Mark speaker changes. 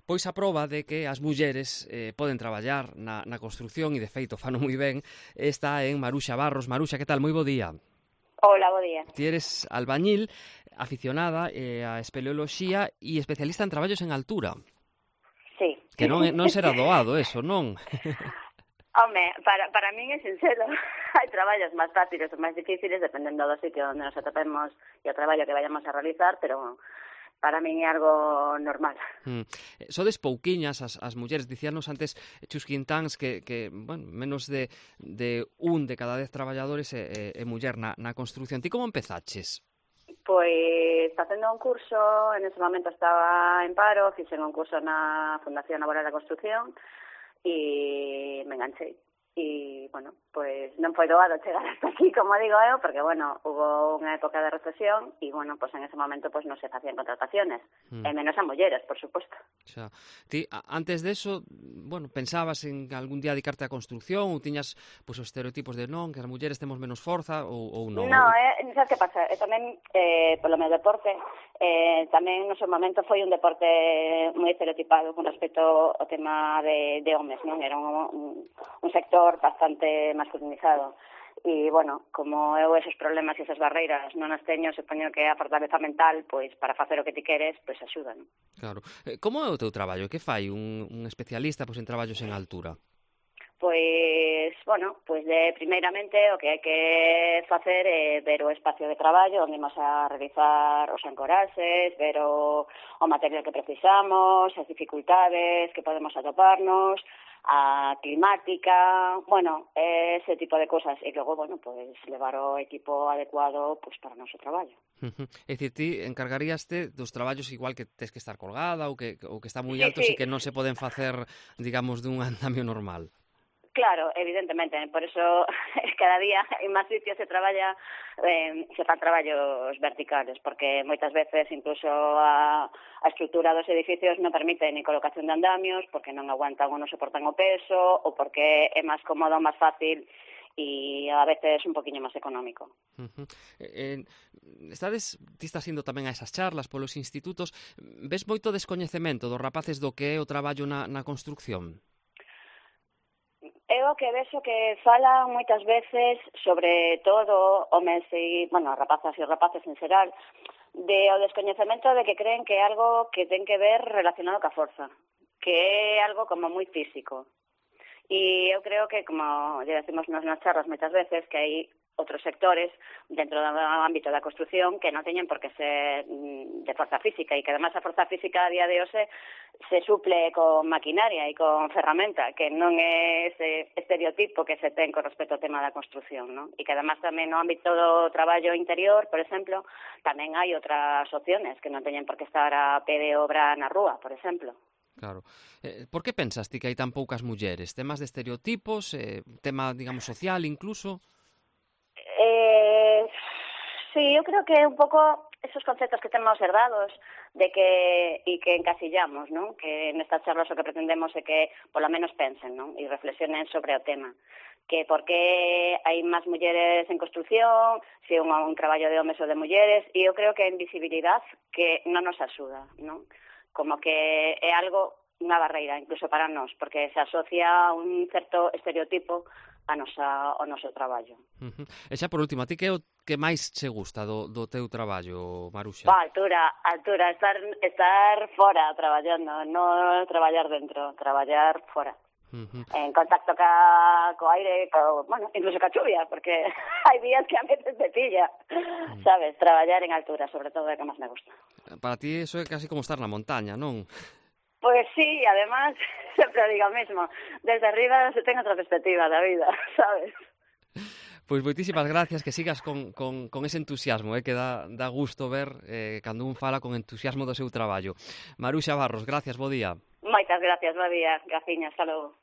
Speaker 1: pois a proba de que as mulleres poden traballar na construción e de feito fano moi ben está en Maruxa Barros. Maruxa, que tal? Moi bo día.
Speaker 2: Hola, bo día.
Speaker 1: Ti eres albañil, aficionada a espeleoloxía e especialista en traballos en altura.
Speaker 2: Sí.
Speaker 1: Que non será doado eso, non?
Speaker 2: Home, para min é sincero. Hai traballos máis fáciles ou máis difíciles dependendo do sitio onde nos atopemos e o traballo que vayamos a realizar, pero para min é algo normal.
Speaker 1: Sodes pouquiñas as mulleres, dicíanos antes Chus Quintáns que bueno, menos de un de cada 10 traballadores é muller na construción. Ti como empezaches?
Speaker 2: Pois facendo un curso, en ese momento estaba en paro, fixen un curso na Fundación Laboral da Construción e me enganchei. E, bueno, pois non foi doado chegar hasta aquí, como digo eu, porque, bueno, hubo unha época de recesión e, bueno, pois en ese momento pois non se facían contrataciones, e menos a mulleres, por suposto.
Speaker 1: Xa. Ti, antes de eso, bueno, pensabas en algún día dedicarte á construción ou tiñas pois os estereotipos de non, que as mulleres temos menos forza ou non?
Speaker 2: Non, sabes que pasa? Tamén, polo meu deporte, tamén no seu momento foi un deporte moi estereotipado con respecto ao tema de homes, non? Era un sector bastante masculinizado. E, bueno, como eu esos problemas e esas barreiras non as teño, supoño que a fortaleza mental, pois, para facer o que ti queres, pois, axuda, non?
Speaker 1: Claro. Como é o teu traballo? Que fai un especialista pois, en traballos en altura?
Speaker 2: Pois, bueno, pois primeiramente o que hai que facer é ver o espacio de traballo onde imos a realizar os ancoraxes, ver o material que precisamos, as dificultades que podemos atoparnos, a climática, bueno, ese tipo de cosas. E logo, bueno, pois levar o equipo adecuado pois para o noso traballo.
Speaker 1: É dicir, ti encargaríaste dos traballos igual que tes que estar colgada ou que está moi altos e que non se poden facer, digamos, dun andamio normal.
Speaker 2: Claro, evidentemente, por eso cada día en máis sitios se traballa, se fan traballos verticales, porque moitas veces incluso a estrutura dos edificios non permite ni colocación de andamios, porque non aguantan ou non soportan o peso, ou porque é máis cómodo, máis fácil, e a veces un poquinho máis económico.
Speaker 1: Ti estás indo tamén a esas charlas polos institutos, ves moito descoñecemento dos rapaces do que é o traballo na construcción?
Speaker 2: É o que vexo que falan moitas veces, sobre todo homes e, bueno, rapazas e rapaces en xeral, de o descoñecemento de que creen que é algo que ten que ver relacionado ca forza, que é algo como moi físico. E eu creo que, como lle decimos nas charlas moitas veces, que hai outros sectores dentro do ámbito da construción que non teñen por que ser de forza física e que además a forza física a día de hoxe se suple con maquinaria e con ferramenta, que non é ese estereotipo que se ten con respecto ao tema da construción, non? E que además tamén no ámbito do traballo interior, por exemplo, tamén hai outras opciones que non teñen por que estar a pé de obra na rúa, por exemplo.
Speaker 1: Claro. Por que pensas ti que hai tan poucas mulleres? Temas de estereotipos? Tema, digamos, social incluso?
Speaker 2: Sí, eu creo que é un pouco esos conceptos que temos herdados de que encasillamos, non? Que nestas charlas o que pretendemos é que polo menos pensen, non? E reflexionen sobre o tema. Que por que hai máis mulleres en construción, se é un traballo de homes ou de mulleres, e eu creo que a invisibilidade que non nos axuda, non? Como que é algo, unha barreira, incluso para nós, porque se asocia a un certo estereotipo ao noso traballo.
Speaker 1: E xa por último, a ti que é o que máis che gusta do teu traballo, Maruxa?
Speaker 2: Altura, estar fora traballando, non traballar dentro, traballar fora. En contacto co aire, bueno, incluso ca chuvia, porque hai días que a veces te pilla, sabes, traballar en altura, sobre todo é que máis me gusta.
Speaker 1: Para ti eso é casi como estar na montaña, non?
Speaker 2: Pois sí, además, sempre digo o mesmo, desde arriba se ten outra perspectiva da vida, sabes?
Speaker 1: Pois moitísimas gracias, que sigas con ese entusiasmo, que dá gusto ver cando un fala con entusiasmo do seu traballo. Maruxa Barros, gracias, bo día.
Speaker 2: Moitas gracias, bo día, graciñas, hasta logo.